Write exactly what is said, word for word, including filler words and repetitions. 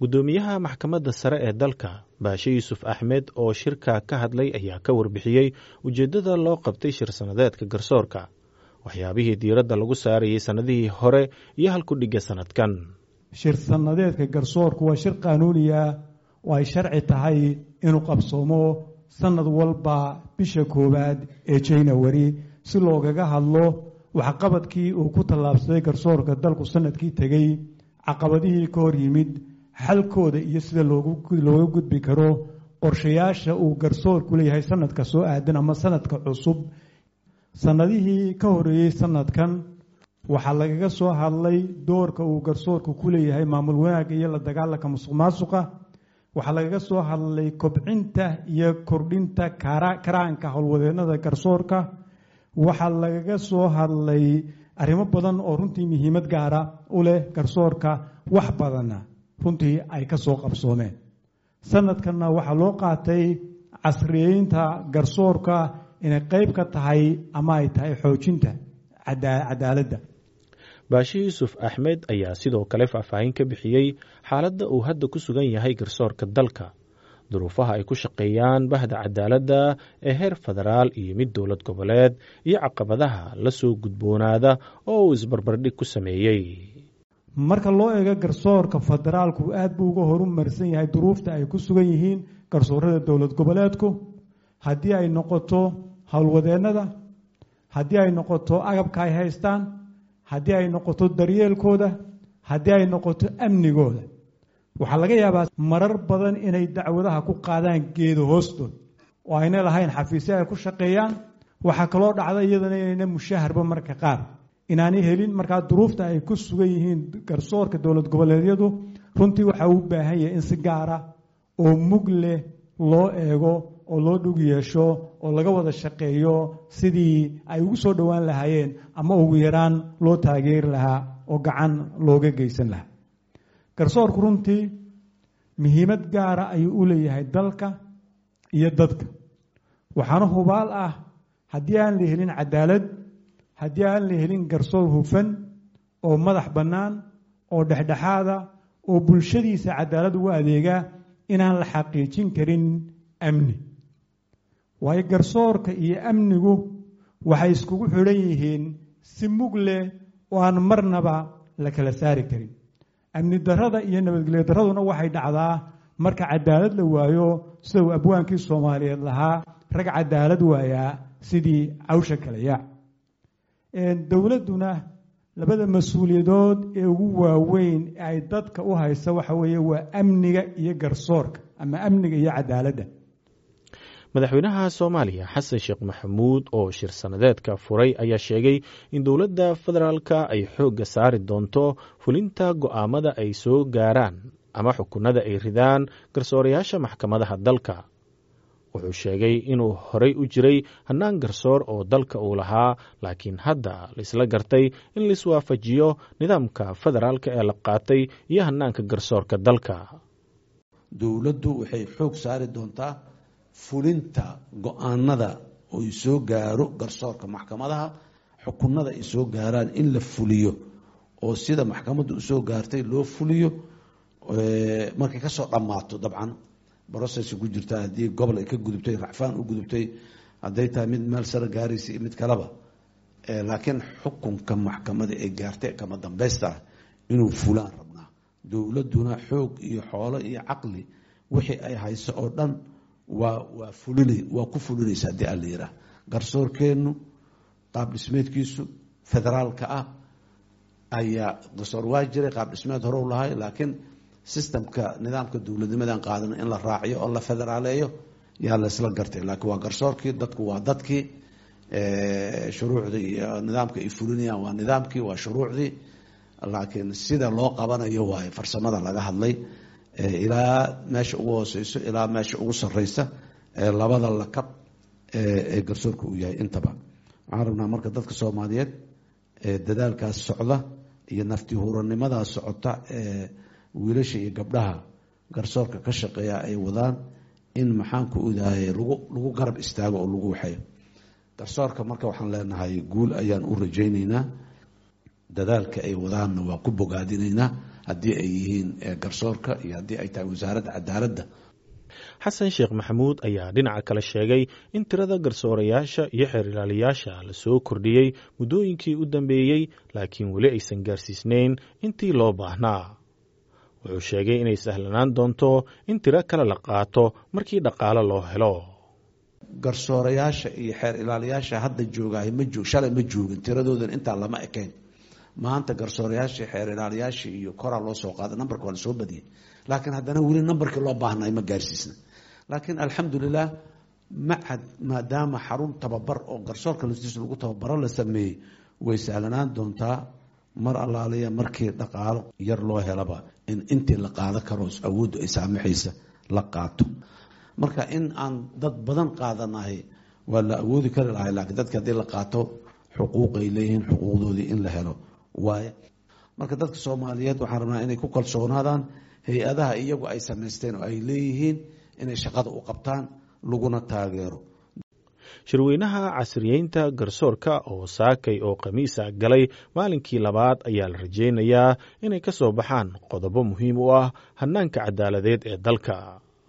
Guddoomiyaha maxkamadda sare ee dalka, Baashe Yuusuf Axmed, oo shirka ka hadlay ayaa ka warbixiyey ujeeddada loo qabtay shir sannadeedka garsoorka, waxyaabihii diiradda lagu saarayay sannadihii hore iyo halkudhigga sannadkan. Shir sannadeedka garsoorku waa shir qaanuuniya oo ay sharci tahay inuu qabsoomo sanad walba bisha koowaad ee January si loogaga hadlo waxqabadkii uu ku tallaabsaday garsoorka dalku sanadkii tegey, caqabadihii ka hor yimid, xalkooda iyo sida looga gudbi karo, qorshayaasha uu garsoorku leeyahay sanadka soo aadan ama sanadka cusub. Sanadihii ka horeeyey sanadkan waxaa lagaga soo hadlay doorka uu garsoorku ku leeyahay maamul wanaagga iyo la dagaalanka musuq maasuqa. Waxaa lagaga soo hadlay kobcinta iyo kordhinta karaanka howlwadeennada garsoorka. Waxaa lagaga soo hadlay arrimo badan oo runtii muhiimad gaara u leh garsoorka, wax badanna runtii ay ka soo qabsoomeen. Sanadkanna waxaa loo qaatay casriyeynta garsoorka inay qayb ka tahay ama ay tahay xoojinta cadaaladda. Baashe Yuusuf Axmed ayaa sidoo kale faahfaahin ka bixiyey xaaladda uu hadda ku sugan yahay garsoorka dalka, duruufaha ay ku shaqeeyaan bahda cadaaladda ee heer federaal iyo mid dowlad goboleed, iyo caqabadaha la soo gudboonaada oo uu isbarbardhig ku sameeyey. Marka loo eego garsoorka federaalku aad buu uga horumarsan yahay duruufta ay ku sugan yihiin garsoorada dowlad goboleedku, haddii ay noqoto howlwadeennada, haddii ay noqoto agabka ay haystaan, haddii ay noqoto daryeelkooda, haddii ay noqoto amnigooda. Waxaa laga yaabaa marar badan inay dacwadaha ku qaadaan geedo hoostood oo ayna lahayn xafiisyo ay ku shaqeeyaan. Waxaa kaloo dhacda iyadana inayna mushaharba marka qaar inaanay helin. Markaa duruufta ay ku sugan yihiin garsoorka dowlad goboleedyadu runtii waxaa u baahan yahay in si gaara oo mug leh loo eego oo loo dhug yeesho oo laga wada shaqeeyo sidii ay ugu soo dhowaan lahaayeen ama ugu yaraan loo taageeri lahaa oo gacan looga geysan lahaa. Garsoorku runtii muhiimad gaara ayuu u leeyahay dalka iyo dadka, waxaana hubaal ah haddii aan la helin cadaalad, haddii aan la helin garsoor hufan oo madax bannaan oo dhexdhexaada oo bulshadiisa cadaalad ugu adeega, inaan la xaqiijin karin amni. Waayo garsoorka iyo amnigu waxay iskugu xidhan yihiin si mug leh oo aan marnaba la kala saari karin. Amni darrada iyo nabadgelyo darraduna waxay dhacdaa marka cadaalad la waayo, sida uu abwaankii Soomaaliyeed lahaa, rag cadaalad waayaa sidii cawsha kala yaac. Dowladduna labada mas-uuliyadood ee ugu waaweyn ay dadka u haysa waxa weeye waa amniga iyo garsoorka ama amniga iyo cadaaladda. Madaxweynaha Soomaaliya Xasan Sheekh Maxamuud oo shir sannadeedka furay ayaa sheegay in dowladda federaalka ay xoogga saari doonto fulinta go'aamada ay soo gaaraan ama xukunada ay ridaan garsoorayaasha maxkamadaha dalka. Wuxuu sheegay inuu horey u jiray hannaan garsoor oo dalka uu lahaa, laakiin hadda laisla gartay in laiswaafajiyo nidaamka federaalka ee la qaatay iyo hannaanka garsoorka dalka. Dowladdu waxay xoog saari doontaa fulinta go-aanada oy soo gaaro garsoorka maxkamadaha, xukunada ay soo gaaraan in la fuliyo oo sida maxkamaddu usoo gaartay loo fuliyo markay kasoo dhammaato. Dabcan process ku jirta, haddii gobol ay ka gudubtay, racfaan u gudubtay, hadday tahay mid meel sare gaaraysa iyo mid kaleba, laakiin xukunka maxkamada ay gaartay kama dambaysta ah inuu fulaan rabnaa. Dowladduna xoog iyo xoolo iyo caqli wixii ay hayso oo dhan waa waa fulina, waa ku fulinaysa haddii aan la yidhaah. Garsoorkeennu qaab dhismeedkiisu federaalka ah ayaa garsoor waa jiray, qaab dhismeed hore u lahay, laakiin systemka nidaamka dowladnimadan qaadana in la raaciyo oo la federaaleeyo yaa la isla gartay. Laakiin waa garsoorkii dadku, waa dadkii shuruucdii iyo nidaamka ay fulinayaan, waa nidaamkii, waa shuruucdii, laakiin sida loo qabanayo waayo farsamada laga hadlay, ilaa meesha ugu hooseyso ilaa meesha ugu sareysa ee labada lakab ee garsoorka uu yahay intaba. Waxaan rabnaa marka dadka Soomaaliyeed ee dadaalkaas socda iyo nafti huuranimadaa socota ee wiilasha iyo gabdhaha garsoorka ka shaqeeya ay wadaan in maxaan ku odaayay lagu lagu garab istaago oo lagu waxeeyo garsoorka. Marka waxaan leenahay guul ayaan u rajaynaynaa, dadaalka ay wadaanna waa ku bogaadinaynaa. Haddii ay yihiin garsoorka iyo haddii ay tahay Wasaaradda Cadaaladda. Xasan Sheekh Maxamuud ayaa dhinaca kale sheegay in tirada garsoorayaasha iyo xeer ilaaliyaasha la soo kordhiyey muddooyinkii u dambeeyey, laakiin weli aysan gaarsiisnayn intii loo baahnaa. Wuxuu sheegay inay sahlanaan doonto in tiro kale la qaato markii dhaqaale loo helo. Garsoorayaasha iyo xeer ilaaliyaasha hadda joogahay ma joog, shalay ma joogin, tiradoodan intaa lama ekayn. Maanta garsoorayaashii, xeer ilaaliyaashii iyo koraa loo soo qaaday, nambarka waa lasoo badiyey, laakiin haddana weli nambarkii loo baahnay ma gaarsiisna. Laakiin alxamdulilah, macad maadaama xarun tababar oo garsoorka laftiisa lagu tababaro la sameeyey, way sahlanaan doontaa mar allaaliya markii dhaqaalo yar loo helaba in intii la qaado karo awooddu ay saamaxaysa la qaato. Marka in aan dad badan qaadanahay waa la awoodi kari lahay, laakiin dadka haddii la qaato xuquuqay leeyihiin, xuquuqdoodii in la helo waaye. Marka dadka Soomaaliyeed waxaan rabnaa inay ku kalsoonaadaan hay-adaha iyagu ay samaysteen oo ay leeyihiin inay shaqada u qabtaan, laguna taageero. Shirweynaha casriyeynta garsoorka oo saakay oo khamiisa galay maalinkii labaad ayaa la rajeynayaa inay ka soo baxaan qodobo muhiim u ah hannaanka cadaaladeed ee dalka.